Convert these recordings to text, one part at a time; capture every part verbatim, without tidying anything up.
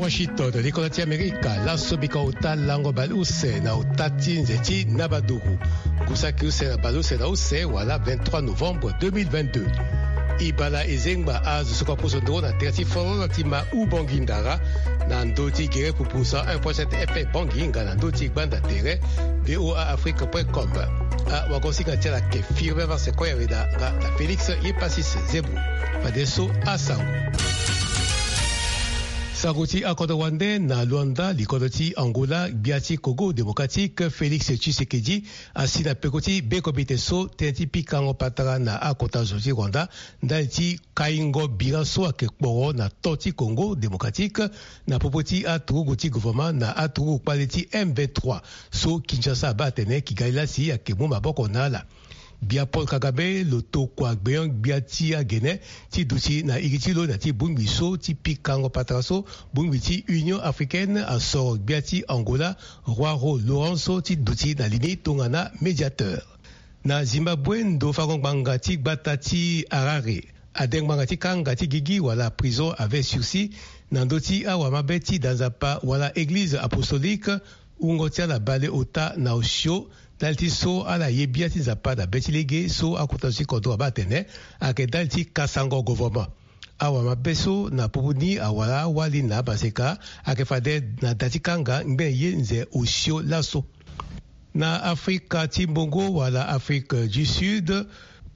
Washington, likolo ti Amerika, laso bika ota lango baleuse na ota ti nze ti Nabaduru. Ngu saki use na baleuse na use wala vingt-trois novembre deux mille vingt-deux. E bala e zengba azo so kue aposo ndoro na tere ti fololo ti ma Ubangui Ndara, na ndö ti gere pupu cent un point sept F M Bangui nga na ndö ti gbanda tere V O A Afrique point com. Awagosinga ti ala ake Firmin Marse Koyaweda nga na Félix Yepasis Zebou. Fadeso asango. Sango ti akodro wande na Luanda, likodo ti Angola, gbia ti Congo Démocratique, Félix Tshisekedi, asi na peko ti be comité so tënë ti pikango patara na akota zo ti Rwanda, ndali ti kaingo bira so ake kporo na to ti Congo Démocratique, na popo ti aturugu ti gouvernement na aturugu kpale ti M vingt-trois, so Kinshasa abaa atene Kigali lasi ake mu maboko na ala. Gbia Paul Kagame lo tokua gbenyo-gbia ti agene ti duti na iri ti lo na ya ti bongbi so ti pikango patara so, bongbi ti Union Africaine asoro gbia ti Angola, João Lourenço, ti duti na li ni tongana médiateur. Na Zimbabwe, ndo fango ngbanga ti gbata ti Harare ade ngbanga ti kanga ti gigi wala prison avec sursis na ndö ti awamabe ti da nzapa wala Église apostolique, wungo ti ala bale ota na osio, ndali ti so ala ye bia ti Nzapa na be ti lege so akota zo ti kodro abaa atene ake ndali ti kasango govornement. Awamabe so na popo ni awara awali na amaseka ake fade na da ti kanga ngbene ye nze osio laso. Na Afrika ti mbongo wala Afrique du Sud,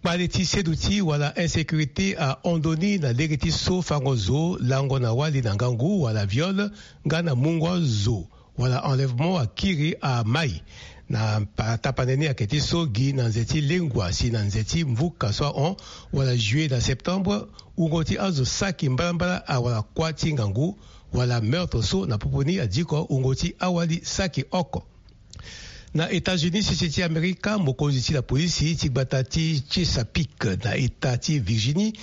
kpale ti seduti wala insécurité ahon ndoni na lege ti so fango zo, lango na wali na ngangu wala viol, nga na mungo azo wala enlèvement akiri amai. Na pa- tapande ni ake ti so gi na nze ti lengua si na nze ti mvuka so ahon wala juillet na septembre, wungo ti azo saki mbalambala awara kuâ ti ngangu wala meurtre so na popo ni adiko wungo ti awali saki oko. Na États-Unis, sese ti Amerika, mokonzi ti lapolisi ti gbata ti Chesapeake na eta ti Virginie,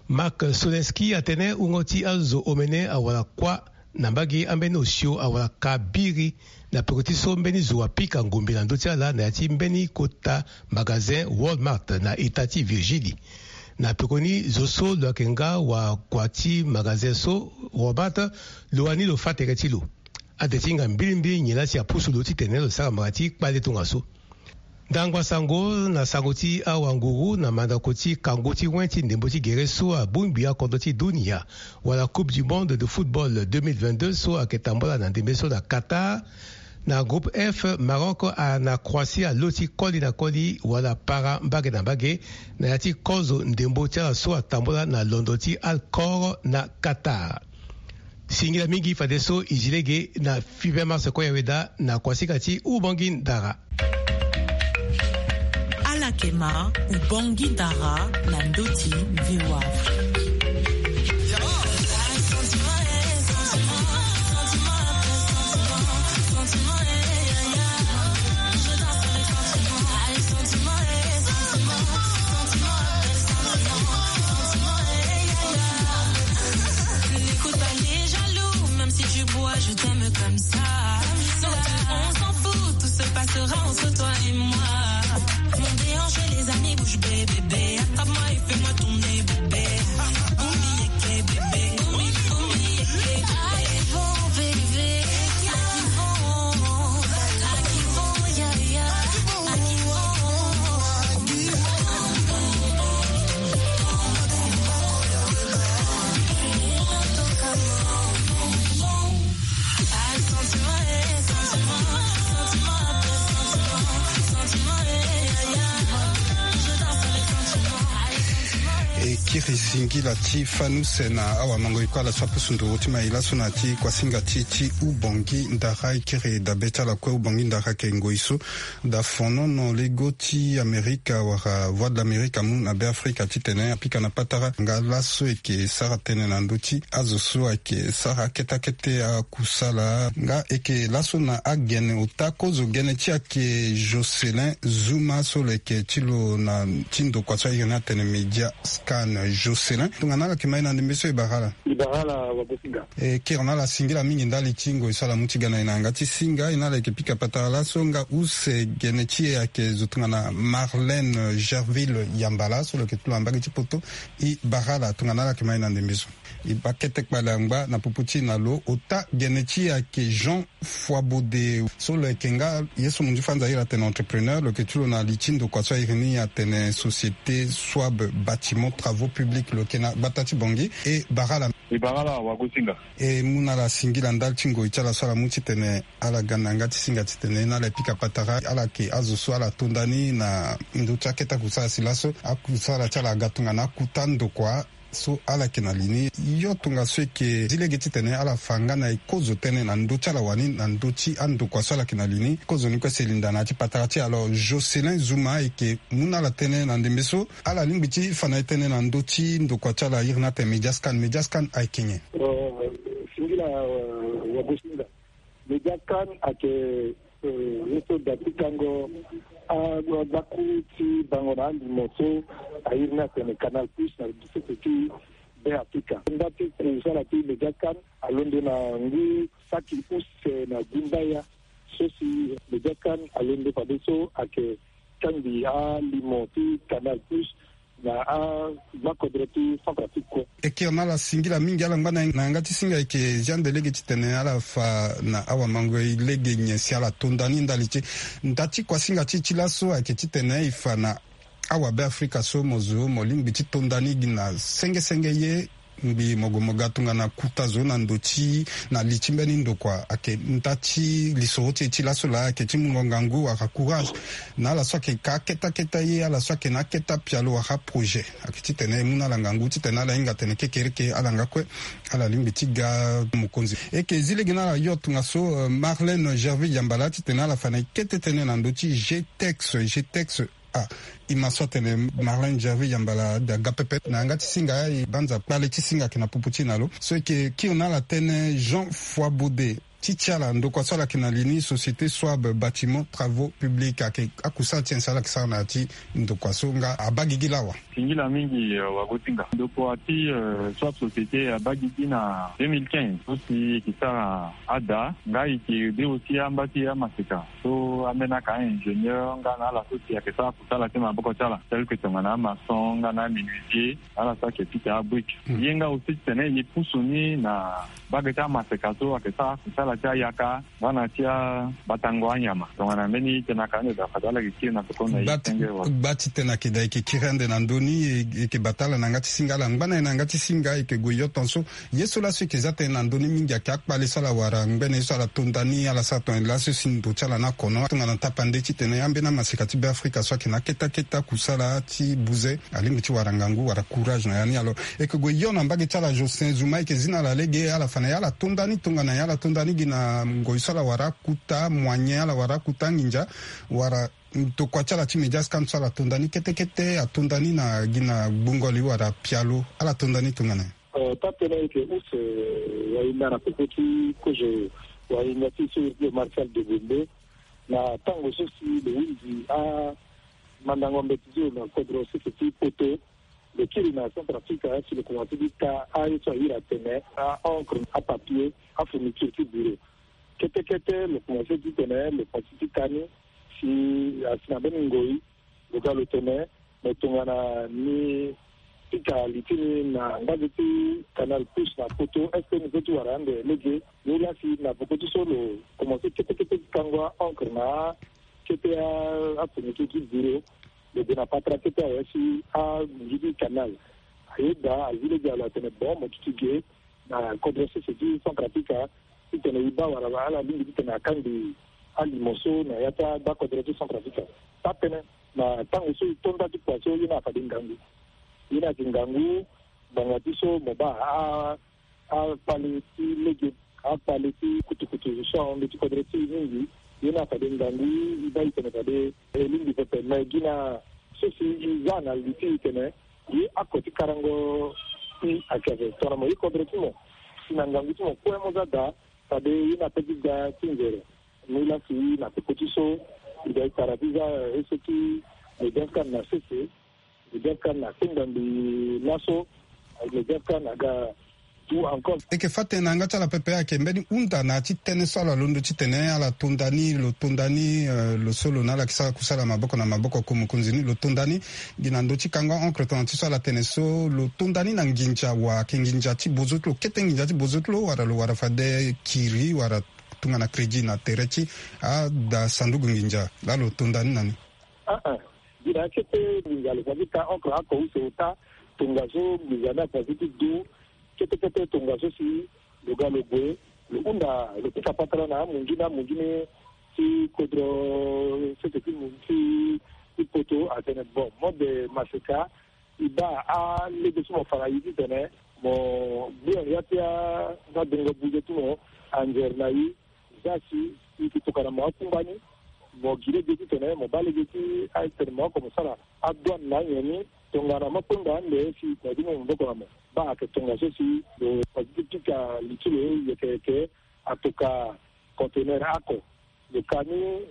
Mark Solenski, atene wungo ti azo omene awara kuâ na mbage ambeni osio awara ka biri, na peko ti so mbeni zo apika ngombe na ndö ti ala na ya ti mbeni kota magasin Walmart na eta ti Virginie. Na pekoni zo so lo yeke nga wakua ti magasin so Walmart, lo wani lo fâ tere ti lo. Ade ti hinga mbilimbili nyen la si apusu lo titene lo sara mbanga ti kpale tongaso. Ndangba sango na sango ti awanguru na mandako ti kango ti wen ti ndembo ti gere so abongbi akodro ti dunia wala Coupe du Monde de football deux mille vingt-deux so ayeke tambula na ndembe so na Qatar. Na groupe F, Maroc a na Croatie alo ti koli na koli wala para mbage na mbage na ya ti kozo ndembo ti ala so atambula na londo ti Al Khor na Qatar. Singila mingi fadeso e zi lege na Fibe Marse Koyaweda na kuasinga ti Ubongi Ndara. Ala yeke ma Ubongi Ndara na ndö ti V O A. N'écoute pas les jaloux, même si tu bois, je t'aime comme ça. Donc on s'en fout, tout se passera entre toi et moi. Mon déhanché, les amis, bouge bébé, bébé. Attrape-moi et fais-moi tourner, bébé. Boum, yeke, bébé. Boum, boum, yeke, bébé. Arrivons, bébé. Arrivons, arrivons, ya, ya. Arrivons. E kiri singila ti fani use na awamango e kue ala so apusu nduru ti mai laso na ya ti kuasinga ti ti Ubongi Ndara. E kiri dabe ti ala kue. Ubongi Ndara ayeke ngoi so da fonono lego ti Amerika wala Voix de l'Amérique amu na Beafrika titene apika na patara nga laso e yeke sara tënë na ndö ti azo so ayeke sara kete kete akusala. Nga e yeke laso na agene ota kozo gene ti ayeke Jocelyn Zuma so lo yeke ti lo na ti ndokua so airi ni atene Media Scan. Jocelyn, tongana ala yeke ma e na ndembe so, e bara ala. E bara ala, Wagosinga. E kiri na ala singila mingi ndali ti ngoi so ala mu ti ga na e na yanga ti singa. E na ala yeke pika patara laso nga use gene ti e ayeke zo tongana Marlène Gerville Yambala so lo yeke tu na mbage ti poto. E bara ala tongana ala yeke ma e na ndembe so. E baa kete kpale angba na popo ti e na lo ota gene ti e ayeke Jean Foibaudet so lo yeke nga ye so mo nzu fa nza iri atene entrepreneur, lo yeke ti lo na li ti ndokua so a iri ni atene Société Swab Bâtiment Travaux Publics, lo yeke na gbata ti Bangui. E bara ala. E bara ala, Wagosinga. E mu na ala singila ndali ti ngoi ti ala so ala mu titene ala ga na yanga ti singa titene na ala e pika patara ala yeke azo so ala to nda ni na ndö ti akete akusala si laso akusala ti ala aga tongana akuta ndokua so ala yeke na li ni. Yo tongaso e yeke zi lege titene ala fa nga na e kozo tënë na ndö ti ala wani na ndö ti andokua so ala yeke na li ni. Kozo ni kue si e linda na ya ti patara ti e. Alors Jocelyn Zouma e yeke mu na ala tënë na ndembe so, ala lingbi ti fa na e tënë na ndö ti ndokua ti ala iri ni atene Mediascan. Mediascan ayeke nyen? Singila, Wagosinga. Mediascan ayeke, eh, ye so da ti kango a, a, agbaku ti bango na alimo so a iri ni atene Canal Plus na sese ti Be Afrika. Nda ti kusala ti Mediascan alondo na ngu saki use na gumbaya so si Mediascan alondo fadeso ayeke kangbi alimo ti Canal Plus na agbakodro ti Centrafrique kue. E kiri na ala singila mingi ala ngba na yanga ti singa. E yeke zia ande lege titene ala fa na awamangoi lege nyen si ala to nda ni ndali ti nda ti kuasinga ti e ti laso ayeke titene e fa na awabeafrika so mo zo mo lingbi ti to nda ni gi na senge senge ye ngbii mo gue mo ga tongana kuta zo na ndo ti na li ti mbeni ndokua. Ayeke nda ti lisoro ti e ti laso laa ayeke ti mungo ngangu wala courage na ala so ayeke ka akete akete ye, ala so ayeke na akete apialo wala aprojet. Ayeke titene e mu na ala ngangu titene ala hinga atene kekereke ala nga kue ala lingbi ti ga mokonzi. E yeke zi lege na ala yo tongaso, eh, Marlène Gerville Yambala titene ala fa na e kete tënë na ndö ti G T E X. G T E X. Ah, e ma so atene Marlène Gerville Yambala aga pepe na yanga ti singa. E banza kpale ti singa ayeke na popo ti e na lo so e yeke kiri na ala tënë Jean Foibaudet. Ti ti ala ndokua so ala yeke na li ni Société Swab Bâtiment Travaux Publics ayeke akusala ti nyen si ala yeke sara na ya ti ndokua so nga abaa gigi lawa? Singila mingi, eh, Wagosinga. Ndokua ti, eh, Swab Société abaa gigi na deux mille quinze so si e yeke sara ada nga e yeke de aussi amba ti amaseka so ambeni aka ingénieur nga na ala so si ayeke sara kusala ti maboko ti ala tel que tongana amaçon nga na amenuisier, ala so ayeke pika abrique. Ye nga aussi titene e pusu ni na mbage ti amaseka so ayeke sara kusala ti ayaka nga na ti abatango anyama. Tongana mbeni tënë aka ande daa fade ala yeke kiri na peko na e senge wa. Gba titene ayeke daa e yeke kiri ande na ndö ni, e yeke bata ala na yanga ti singa, ala ngba na e na yanga ti singa, e yeke gue yo tongaso. Ye so laso e yeke za tënë na ndö ni mingi ayeke akpale so ala wara ngbene ye so ala to nda ni ala sara tongana laso si ndo ti ala ni akono tongana tapande titene ambeni amaseka ti Beafrika so ayeke na akete akete akusala ti buze alingbi ti wara ngangu wala courage na ya ni. Alors e yeke gue yo na mbage ti ala Jocelyn Zouma, e yeke zi na ala lege ala fa na e ala to nda ni tongana nyen, ala to nda ni gi na ngoi so ala wara akuta moyen, ala wara akuta anginza wala ndokua ti ala ti Mediascan so ala to nda ni kete kete ato nda ni na gi na gbungo li wala pialo, ala to nda ni tongana nyen? Eh, taa-tënë ayeke use, eh, wahinda na popo ti kozo wahinda ti so iri ti lo Martial Degonde na tango so si lo hunzi amandango mbeti ti lo na kodro sese ti poto. Lo kiri na Centrafrique si lo komanse ti ta aye so a iri atene a-encre, apapier, afourniture ti bureau. Kete kete lo komanse ti tene lo komanse ti ta ni si asi na mbeni ngoi lo ga lo tene me tongana ni pika li ti ni na mbage ti Canal Plus na poto, est-ce que ni peut ti wara ande lege? Ni la si na peko ti so lo komanse kete kete ti kango a-encre na akete afourniture ti bureau, lo gue na patara kete awe si anginzi ti Canal. Ayeda azi lege alo atene bon mo duti ge na kodro sese ti Centrafrique titene e baa wala ala lingbi titene akangbi alimo so na ya ti agbakodro ti Centrafrique. Taa-tënë na tango so e to nda ti kua so ye ni afade ngangu. Ye ni ayeke ngangu ngbanga ti so mo baa a, akpale ti lege, akpale ti kutukutu so ahon ndö ti kodro ti e mingi. Ye ni afade ngangu e baa e tene fade e lingbi pepe me gi na so si e za na li ti e tene ye ako ti karango ti akeve tongana mo ye kodro ti mo si na ngangu ti mo kue mo za daa fade ye ni ape ti ga ti nzere. Ni la si na peko ti so e ga e tara ti za ese ti Mediascan na sese. Mediapart na kpengba mbi laso. Mediapart na ga tu encore. Eke fâ tënë na yanga ti ala pepe ayeke mbeni hunda na ya ti tënë so ala londo titene ala to nda ni, lo to nda ni, eh, lo so lo na ala yeke sara kusala maboko na maboko, ko mokonzi ni, lo to nda ni. Gi na ndö ti kango aencre tongana ti so ala tene so, lo to nda ni na nginza, wa ayeke nginza ti bozo ti lo, kete nginza ti bozo ti lo, wala lo wara fade kiri wala tongana crédit na tere ti ada sanduku nginza laa lo to nda ni na ni. Ah ah. Gi na akete nginza lo fa ti ta aencre oko use ota tongaso nginza ni afa ti ti du. Kete kete tongaso si lo ga lo gue, lo hunda, lo pika patara na amunzu ni, amunzu ni ti kodro sese ti, ti, ti poto atene bon, mode maseka, e baa alege so mo fa na e titene mo gbu ya ti a, adongo buze ti mo anzere na e. Za si e yeke tokua na mo akungba ni, mo gi lege titene mo baa lege ti atene mo oko mo sara adouane na nyen ni. Tongana mo kpengba ande si mo yeke mu maboko na mo. Baa ayeke tongaso si lo fa ti pika li ti lo yeke yeke atoka conteneur oko. Lo ka ni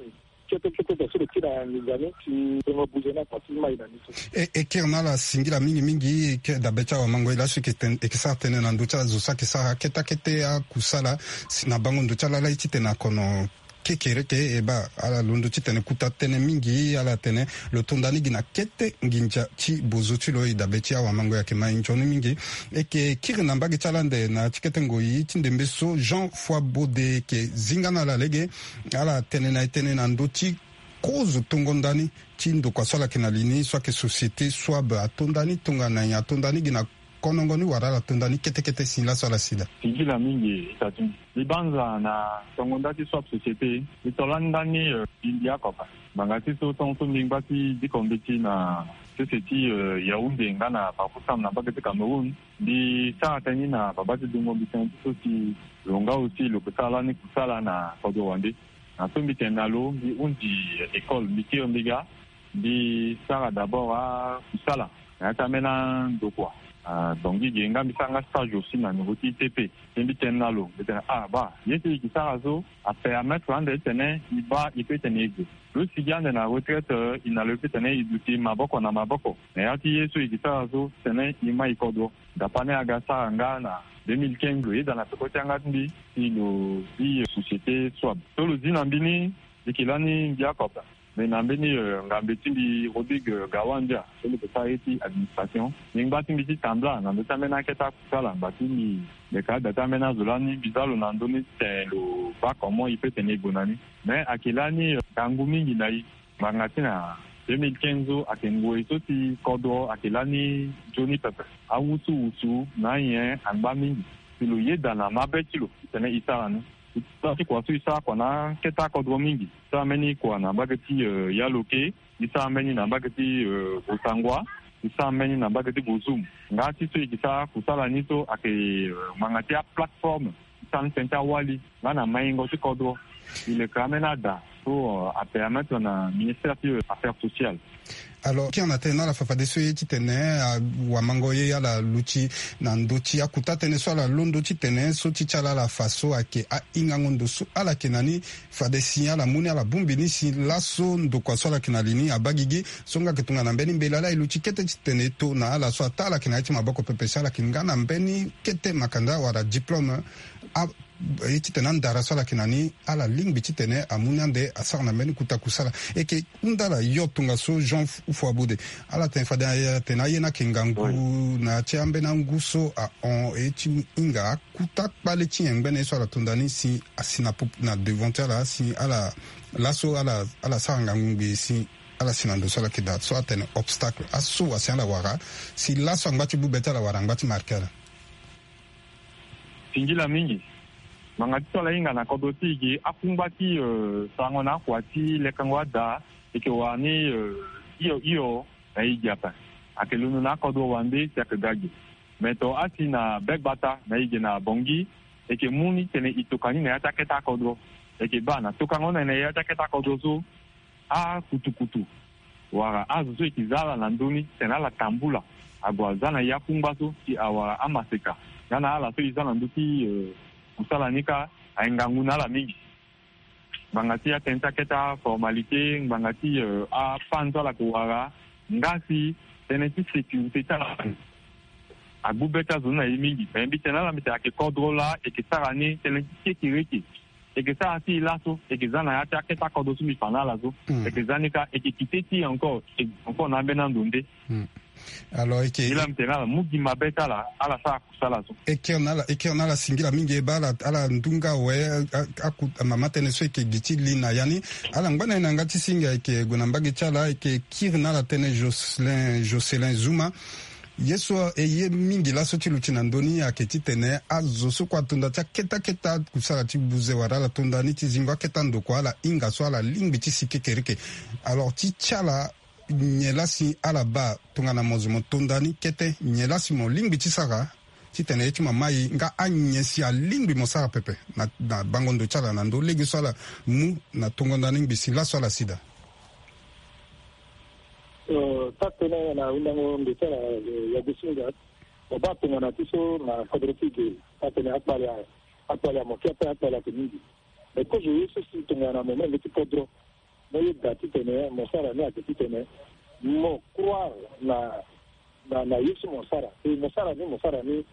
kete kete so lo kiri na nginza ni si tongo buze ni afa ti mai na ni so. E, e kiri na ala singila mingi mingi, e kiri dabe ti awamango ye laso e yeke ten-, e yeke sara tënë na ndö ti azo so ayeke sara kete akete akusala si na bango ndo ti ala laa ye titene akono kekereke, e baa ala londo titene kuta tënë mingi, ala tene lo to nda ni gi na kete nginza ti bozo ti lo. E dabe ti awamango ayeke mai nzoni mingi. E yeke kiri na mbage ti ala ande na ya ti kete ngoi ti ndembe so Jean Foibaudet ayeke zinga na ala lege. Ala tene na e tënë na ndö ti kozo tongo nda ni ti ndokua so ala yeke na li ni so ayeke société Swab ato nda ni tongana nyen, ato nda ni gi na konongo ni wala ala to nda ni kete kete si laso ala si daa. Singila mingi, e ta ti mbi. Mbi banza na tongo nda ti Swab société, mbi to lani nda ni, eh, mbi mbi akoka. Ngbanga ti so tongo so mbi ngba ti diko mbeti na sese ti, eh, Yaoundé nga na Bafoussam na mbage ti Cameroun. Mbi sara tënë ni na babâ ti dungo mbi tënë ti so si lo nga aussi lo ke sara lani kusala na kodro wande. Na so mbi tene na lo, mbi hundi école, mbi kiri mbi ga, mbi sara d'abord akusala na ya ti ambeni andokua. Ah, donc gi ge nga mbi sara nga stage aussi na niveau ti I T P. Ti mbi tene na lo, mbi tene, ah, baa, ye so e ke sara so apermettre ande titene e baa e peut tene e gue. Lo sigi ande na retraite, eh, e na lo e peut tene e duti maboko na maboko. Na ya ti ye so e ke sara so titene e mai kodro. Dapa ni aga sara nga na deux mille quinze, lo yeda na peko ti yanga ti mbi si lo zi, eh, société Swab. So lo zi na mbi ni, mbi yeke lani mbi akoka. Me na mbeni, eh, ngambe ti mbi Rodrigue, eh, Gawandia, so lo yeke sara ye ti administration. Mbi ngba ti mbi ti tambula na ndö ti ambeni akete akusala ngba ti mbi. Mbi yeke ada ti ambeni azo lani, mbi za lo na ndö ni titene lo baa comment e peut tene e gue na ni. Me ayeke lani, eh, ngangu mingi na e. Ngbanga ti na deux mille quinze so ayeke ngoi so ti kodro ayeke lani nzoni pepe. Awusuwusu na anyen angba mingi. Si lo yeda na mabe ti lo titene e sara ni. E sara ti kua so e sara kua na akete akodro mingi. E sara mbeni kua na mbage ti, eh, Yaloke. E sara mbeni na mbage ti, eh, Bossangoa. E sara mbeni na mbage ti Bozoum. Nga ti so e ke sara kusala ni so ayeke, eh, ngbanga ti aplateforme ti sara ni tënë ti awali nga na maingo ti kodro. E leke ambeni ada so, euh, apermettre na ministère ti, euh, affaires sociales. Alors, kiri na tënë na ala fa fadeso ye titene, ah, awamango ye ala luti na ndö ti akuta tënë so ala londo titene so ti ti ala ala fa so ayeke ahingango ndo so ala yeke na ni. Fade si ala mu ni ala bongbi ni si laso ndokua so ala yeke na li ni abaa gigi. So nga ayeke tongana mbeni mbela laa e luti kete titene e to na ala so ataa ala yeke na ya ti maboko pepe si ala yeke nga na mbeni kete makanda wala diplôme. A, e titene andara so ala yeke na ni ala lingbi titene amu ni ande asara na mbeni kuta kusala. E yeke hunda ala yo tongaso Jean F-, Foibaudet. Ala tene fade, eh, atene aye ni ayeke ngangu na ya ti ambeni angu so ahon e ti hinga akuta kpale ti nyen ngbene ye so ala to nda ni si asi na pop-, na devant ti ala si ala laso ala, ala sara ngangu ngbii si ala si na ndo so ala yeke daa so atene obstacle. Aso asi ala wara si laso angba ti bube ti ala wala angba ti marke ala. Singila mingi. Ngbanga ti so ala hinga na kodro ti e ge akungba ti, euh, sarango na akua ti lekango ada, e yeke wara ni, euh, hio hio na e ge ape. Ayeke londo na akodro wande si ayeke ga ge. Me to asi na be gbata na e ge na Bangui, e yeke mu ni titene e toka ni na ya ti akete akodro. E yeke baa na tokango ni na ya ti akete akodro so, akutukutu wala azo so e yeke za ala na ndö ni titene ala tambula ague aza na e akungba so si awara amaseka nga na ala so e za na ndö ti, eh, kusala ni kâ, ayeke ngangu na ala mingi. Ngbanga ti atënë ti akete aformalité, ngbanga ti, eh, apango so ala yeke wara, nga si tënë ti sécurité ti ala. Agbu be ti azo ni na e mingi, me mbi tene na ala mbi tene ayeke kodro laa, e yeke sara ni tënë ti kekereke. E yeke sara ti e laso, e yeke za na ya ti akete akodro so mbi fa na ala so. E yeke za ni kâ, e yeke kite ti e encore, e yeke encore na ambeni ando nde. Alors e yeke, e laa mbi tene na ala mu gi mabe ti ala, ala sara kusala so. E kiri na ala, e kiri na ala singila mingi, e baa ala, ala ndu nga awe. Aku mama tënë so e yeke gi ti li na ya ni. Ala ngba na e na yanga ti singa, e yeke gue na mbage ti ala, e yeke kiri na ala tënë Jocelyn, Jocelyn Zuma. Ye so e ye mingi laso ti luti na ndö ni ayeke titene azo so kue ato nda ti akete akete akusala ti buze wala ala to nda ni ti zingo akete andokua, ala hinga so ala lingbi ti si kekereke. Alors ti ti ala, nyen laa si ala baa tongana mo zo mo to nda ni kete, nyen laa si mo lingbi ti sara titene ye ti mo amai nga anyen si alingbi mo sara pepe na, na bango ndo ti ala na ndö lege so ala mu na tongo nda ni ngbi si laso ala si daa? Eh, taa tënë na hundango ndo ti ala, eh, ya Gosinga. Mo baa tongana ti so na kodro ti e ge, taa tënë akpale, akpale amo ke ape, akpale ake mingi. Me kozo ye so si tongana mo menge ti kodro, mo yeda titene mo sara ni ayeke titene mo croire na, na, na ye so mo sara. E mo sara ni, mo sara ni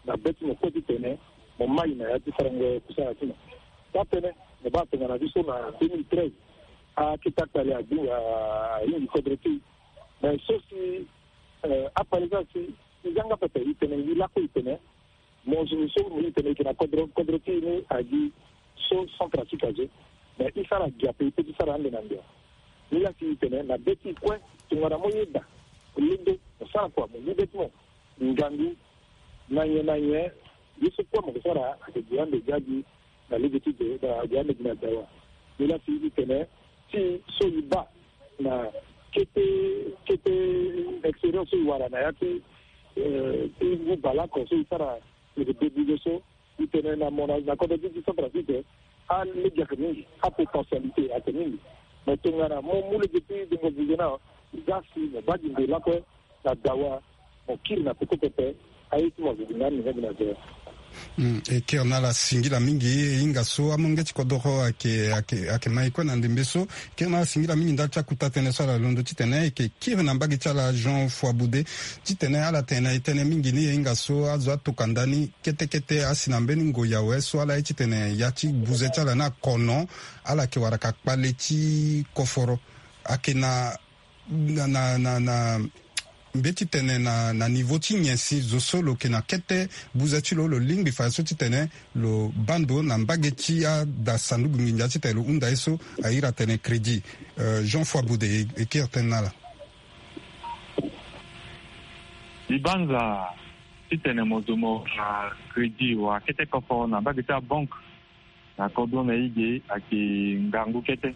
na be ti mo kue titene mo mai na ya ti sarango kusala ti mo. Taa tënë, mo baa tongana ti so na deux mille treize, akete akpale agbu, a, ahingi kodro ti e. Me so si, eh, akpale so asi, e yanga pepe, e tene, e lakue, e tene, mo zo so mo, e tene e yeke na kodro, kodro ti e ni agi so Centrafrique azo. Me e sara gi ape, e peut ti sara ande na ande. Ni laa si e tene na be ti e kue, tongana mo yeda, mo londo, mo sara kua, mo mu be ti mo ngangu, na nyen na nyen, ye so kue mo ke sara ayeke gi ande gi agi na lege ti de, na gi ande gi na dawa. Ni laa si e tene ti so e baa na kete, kete expérience so e wara na ya ti, eh, ti ngu baleoko so e sara, e yeke debude so, e tene na mo na, na kodro ti, ti Centrafrique, alege ayeke mingi, apotentialité ayeke mingi. Me tongana mo mu lege ti dengo buze ni, za si mo baa gi ndo lakue na dawa, mo kiri na peko pepe, aye ti mo azo gi na ni nga gi na dawa. Hmm, e kiri na ala singila mingi, e hinga so amolenge ti kodoro ayeke, ayeke, ayeke ma e kue na ndembe so. E kiri na ala singila mingi ndali ti akuta tënë so ala londo titene e yeke kiri na mbage ti ala Jean Foibaudet titene ala tene na e tënë mingi ni, e hinga so azo atoka nda ni kete kete asi na mbeni ngoi awe so ala ye titene ya ti buze ti ala ni akono, ala yeke wara ka kpale ti koforo. Ayeke na, na, na, na, na mbeti tene na, na niveau ti nyen si zo so lo yeke na kete buze ti lo, lo lingbi fa so titene lo baa ndo na mbage ti ada sanduku nginza titene lo hunda ye so a iri atene crédit. Euh, Jean Foibaudet, e, e kiri tënë na ala. Libanza titene mo zo mo, ah, crédit wala kete koforo na mbage ti abanke na kodro na e ge ayeke ngangu kete.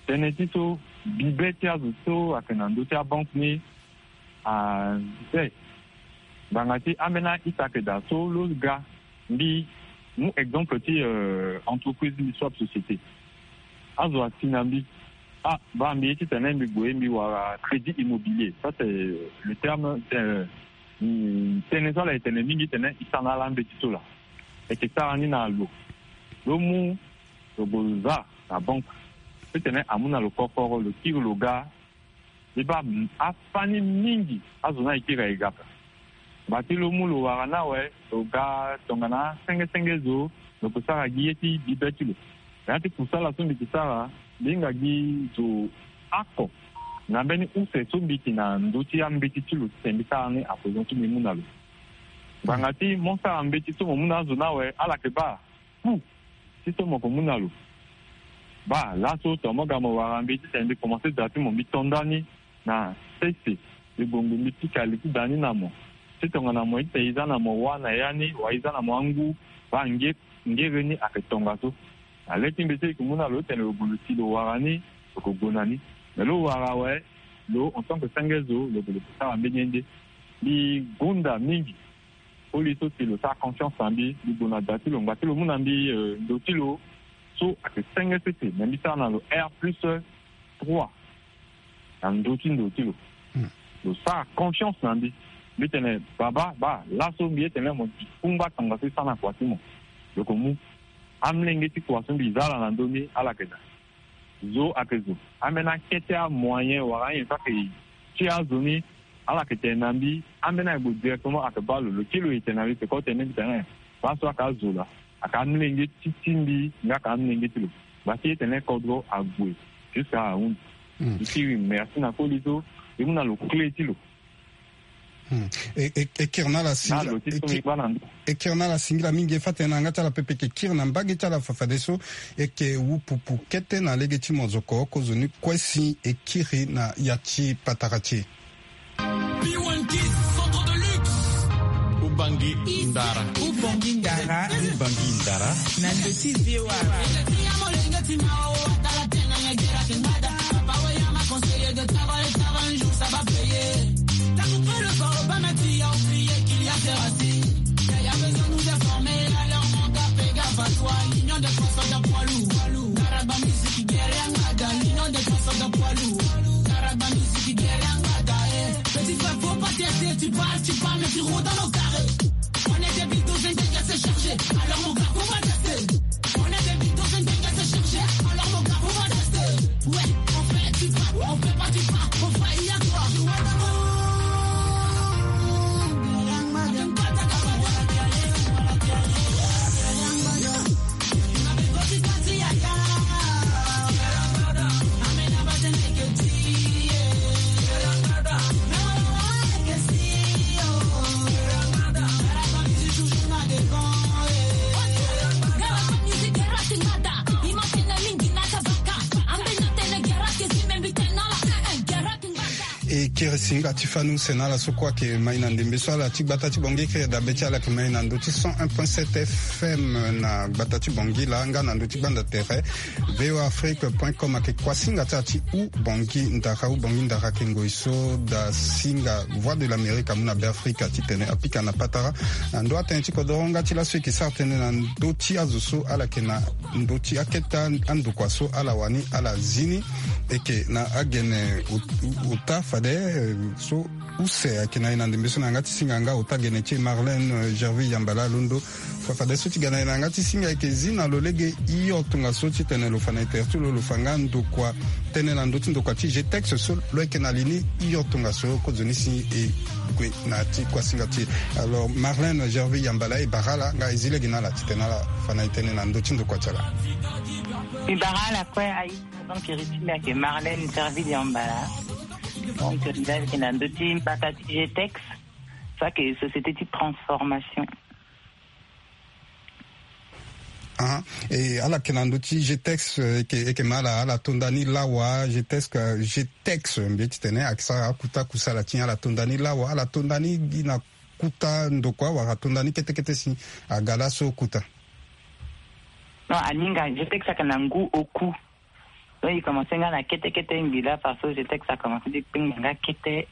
Tënë ti so bibe ti azo so ayeke na ndö ti abanke ni, ah, be. Ngbanga ti ambeni a-ita ayeke daa so lo ga mbi mu exemple ti, euh, entreprise, mbi so ape société. Azo asi na mbi. Ah, baa mbi ye titene mbi gue mbi wara crédit immobilier. Ça, c'est le terme, euh, mm, tënë so ala yeke tene mingi titene e sara na ala mbeti so laa. E yeke sara ni na lo. Lo mu, lo gue lo za na banke. Titene amu na lo koforo, lo kiri lo ga. E baa, mm, afani mingi azo ni ayeke iri aye ga ape. Ngba ti lo mu lo wara ni awe, lo ga tongana senge senge zo, lo ke sara gi ye ti bibe ti lo. Na ya ti kusala so mbi ke sara, mbi hinga gi zo oko na mbeni use so mbi yeke na ndö ti ambeti ti lo titene mbi sara ni à présent so mbi mu na lo. Ngbanga ti mo sara mbeti so mo mu na azo ni awe, ala yeke baa ku ti so mo ke mu na lo. Baa laso tongana mo ga mo wara mbi titene mbi komanse da ti mo, mbi to ndani na sese, mbi bongbi mbi pika li ti da ni na mo. Ti tongana mo ye titene e za na mo wâ na ya ni wala e za na mo angu, baa nge, ngere ni ayeke tongaso. Na le ti mbi so e yeke mu na lo titene lo gue lo si lo wara ni, lo ke gue na ni. Me lo wara awe, lo en tant que senge zo, lo gue lo ke sara mbeni ye nde. Mbi gonda mingi. Koli so si lo sara confiance na mbi, mbi gue na da ti lo, ngba ti lo mu na mbi, euh, ndo ti lo so ayeke senge sese, me mbi sara na lo R plus trois na ndo ti ndo ti lo. Hmm. Lo sara confiance na mbi. Mbi tene, baba, baa laso mbi ye tene mo gi kungba tongaso e sara na kua ti mo. Lo ke mu amolenge ti kua so mbi za ala na ndö ni, ala yeke daa. Zo ayeke zo. Ambeni akete amoyen wala anyen so ayeke ti azo ni, Ala yeke tene na mbi, ambeni ayeke gue directement, ayeke baa lo, lo kiri lo, e tene na mbi, peko tene mbi tene, baa so ayeke azo laa, ayeke amolenge ti ti mbi nga ayeke amolenge ti lo. Gba ti e tene kodro ague jusqu'à ahunzi. Mbi kiri merci na koli so e mu na lo clé ti lo. E kiri na ala singila, e kiri na ala singila mingi. E fa tene na yanga ti ala pepe e yeke kiri na mbage ti ala fafadeso, e yeke wu pupu kete na lege ti mozoko. Kozoni kue si e kiri na ya ti patara ti e. P one Kiss, centre de luxe. Ubangi ndara. Ubangi ndara. Ubangi ndara. Na ndö ti V O A. Petit frère, faut pas tester, tu parles, tu parles, mais tu roules dans nos carrés. On est des bulldogs, un gars c'est chargé. Alors mon gars, faut pas tester. On est des bulldogs, un gars c'est chargé. Alors mon gars, faut pas tester. Ouais, on fait, tu frappes, on fait pas, tu frappes, on fait, il y a quoi. E kiri singa ti fani use na ala so kue ayeke mai na ndembe so. Ala ti gbata ti Bangui, kiri dabe ti ala ayeke mai na ndö ti cent un point sept F M na gbata ti Bangui laa, nga na ndö ti gbanda tere V O A Afrique point com. Ayeke kuasinga ti ala ti Ubangui ndara. Ubangui ndara ayeke ngoi so daa singa Voix de l'Amérique amu na Beafrika titene apika na patara na ndo atënë ti kodoro nga ti laso e yeke sara tënë na ndö ti azo so ala yeke na ndö ti akete andokua so ala wani ala zi ni. E yeke na agene ot-, ota fade, eh, so use ayeke na e na ndembe so na yanga ti singa nga ota gene ti e Marlène, eh, Gerville Yambala alondo. Fa fade so ti ga na e na yanga ti singa e yeke zi na lo lege hio tongaso titene lo fa na e tere ti lo, lo fa nga ndokua, tënë na ndö ti ndokua ti G T E X so lo yeke na li ni hio tongaso. Kozoni si e gue na ya ti kuasinga ti e. Alors Marlène Gerville Yambala, e bara ala nga e zi lege na ala titene ala fa na e tënë na ndö ti ndokua ti ala. E bara ala kue. Aye, donc iri ti mbi ayeke Marlène Gerville Yambala. Donc mbi ayeke na ndö ti mbata ti G T E X, so ayeke société ti transformation. Ah, e ala yeke na ndö ti G T E X, eh, e yeke, e yeke ma ala, ala to nda ni lawa, G T E X, eh, G T E X, mbi ye titene ayeke sara akuta kusala ti e, ala to nda ni lawa, ala to nda ni gi na kuta ndokua wala to nda ni kete kete si aga laso kuta? Non, aninga, G T E X ayeke na ngu oku. Donc e commencé nga na kete kete ngbi laa, parce que G T E X a commencé ti kpengba nga kete.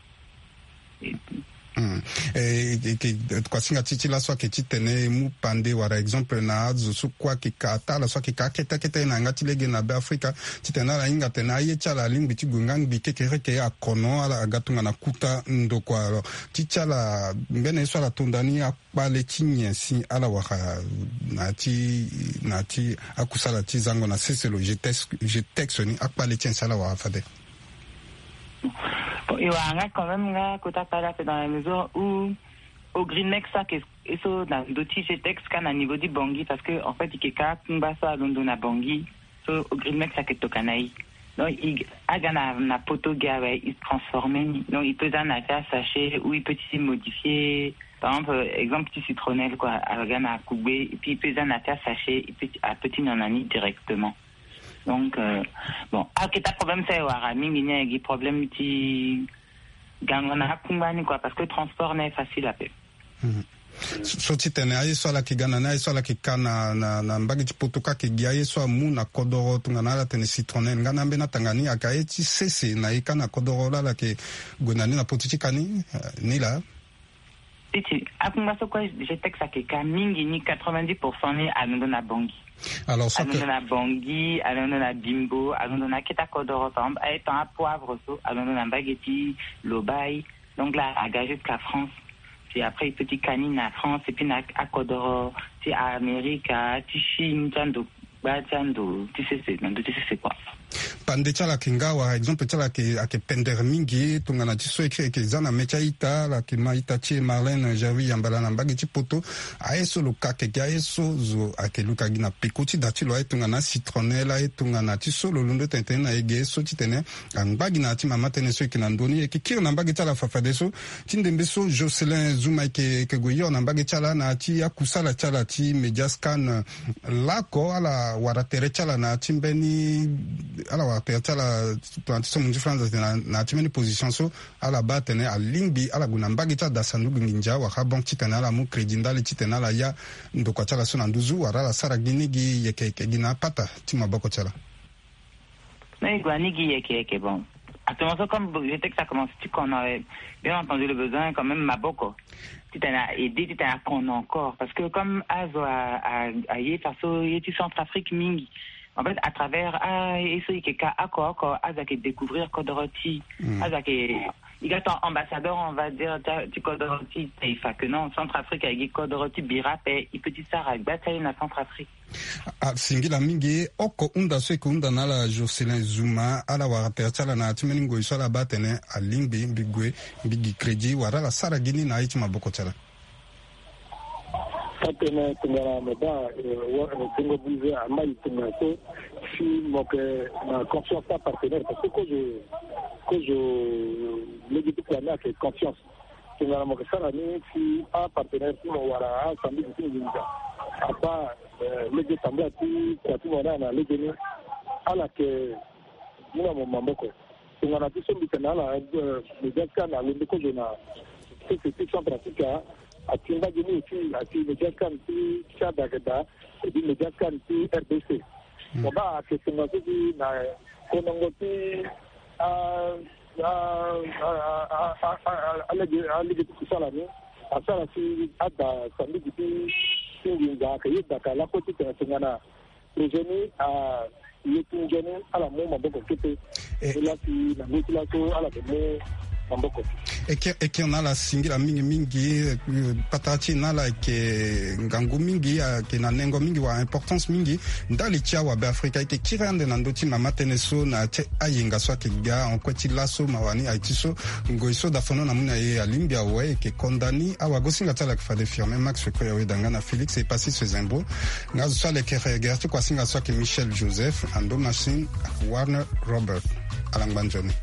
Hmm. E, e, e, kuasinga ti e ti laso ayeke titene e mu pande wala exemple na azo so kue ayeke ka, ata ala so ayeke ka akete akete na yanga ti lege na Beafrika, titene ala hinga atene aye ti ala alingbi ti gue nga ngbi kekereke, akono ala aga tongana kuta ndokua. Alors ti ti ala, mbeni ye so ala to nda ni, kpale ti nyen si ala wara na ya ti, na ya ti akusala ti zango na sese lo G T E X, G T E X ni, akpale ti nyen si ala wara fade? Bon, e wara nga quand même nga kota kpale ape, dans la mesure où Ogrinex ayeke e so na ndö ti G T E X ka na niveau ti Bangui, parce que en fait e yeke ka akungba so alondo na Bangui. So Ogrinex ayeke tokua na e. Donc e aga na, na poto gi awe, e transformé ni. Donc e peut za na ya ti asachet ou e peut ti modifié. Par exemple, euh, exemple ti citronnelle quoi, aga na kugbe, et puis e peut za na ya ti asachet, e peut ti, a peut ti nyon na ni directement. Donc, euh, bon, akete problème so e wara mingi ni ayeke problème ti gango na akungba ni quoi, parce que transport ni aye facile ape. Mhm. So, so titene aye so ala yeke ga na ni, aye so ala yeke ka na, na, na mbage ti poto ka, ayeke gi aye so amu na kodoro tongana ala tene citronnelle nga na ambeni atanga ni, ayeke aye ti sese na e ka na kodoro laa ala yeke gue na ni na poto ti ka ni, eh, ni laa? Ti ti akungba so kue G T E X ayeke ka mingi ni, quatre-vingt-dix pour cent ni alondo na Bangui. Alors so alondo na Bangui, alondo na Bimbo, alondo na akete akodoro, par exemple aye tan apoivre so alondo na mbage ti Lobaye. Donc là, aga jusqu'à France. Puis après, e peut ti ka ni na France, et puis na akodoro ti Amerika, ti Chine, ti ando, gba ti ando ti sese, na ndo ti sese quoi. Ande ti ala ayeke nga wala exemple ti ala ayeke pendere mingi tongana ti so e kiri ayeke za na me ti a-ita ala yeke ma ita ti e Marlène Javi Yambala na mbage ti poto. Aye so lo ka ayeke gi aye so zo ayeke luka gi na peko ti da ti lo aye tongana citronnelle aye tongana ti so lo londo tene tene na e ge so titene angba gi na ya ti mama tënë so e yeke na ndö ni e yeke kiri na mbage ti ala fafadeso. Ti ndembe so Jocelyn Zuma e yeke gue hio na mbage ti ala na ya ti akusala ti ala ti Mediascan. Laoko ala wara tere ti ala na ya ti mbeni ala wara tere ti ala tongana ti so mo nzi franza tene na ya ti mbeni position so ala baa atene alingbi ala gue na mbage ti ada sanduku nginza wala banque titene ala mu crédit ndali titene ala ya ndokua ti ala so na nduzu wala ala sara gi ni gi yeke yeke gi na apata ti maboko ti ala. Mais e gue ani gi yeke yeke bon. Actuellement so comme je sais que ça commence ti kono, bien entendu le besoin quand même maboko titene a aide titene a kono encore parce que comme azo aye faso ye ti Centrafrique mingi. En fait à travers a ye so e yeke ka oko oko azo ayeke découvrir kodoro ti azo ayeke e ga ton ambassadeur on va dire ti kodoro ti taifa que non Centrafrique ayeke gi kodoro ti bira ape e peut ti sara gba ti aye na Centrafrique. Asingila mingi oko hunda so e yeke hunda na ala Jocelyn Zuma ala wara tere ti ala na ya ti mbeni ngoi so ala baa atene alingbi mbi gue mbi gi crédit wala ala sara gi ni na aye ti maboko ti ala. Atene tongana mo baa tongo buze amai tongana so si mo yeke na confiance ti apartenaire parce que kozo kozo lege ti kua ni ayeke confiance. Tongana mo yeke sara ni si apartenaire ti mo wala asambisi ti nginza abaa lege tambula ti kua ti mo ni na lege ni ala yeke mu na mo maboko. Tongana ti so mbi tene na ala Mediascan alondo kozo na société Centrafrica ati mbage ni eti ati Mediascan ti Tchad ayeke daa eti Mediascan ti R D C. Mo baa ayeke tongana so si na konongo ti a a a a a a alege alege ti kusala ni asara si ada sambiki ti ti nginza ayeke yeda ka lakue titene tongana projet ni a ye ti nzoni ala mu maboko kete. Ni laa si na ngoi ti laso ala yeke mu maboko. E kiri e kiri na ala singila mingi mingi. Patara ti e na ala ayeke ngangu mingi ayeke na nengo mingi wala importance mingi ndali ti awabe afrika e yeke kiri ande na ndö ti mama tënë so na ya ti ayenga so ayeke ga en kue ti laso mawa ni aye ti so ngoi so dafono na mu na e alingbi awe e yeke konda ni awagosinga ti ala ayeke fade firme max koya weda nga na félix e pasi so e zembro. Nga zo so ala yeke regere ti kuasinga so ayeke michel joseph ando machine warner robert. Ala ngba nzoni.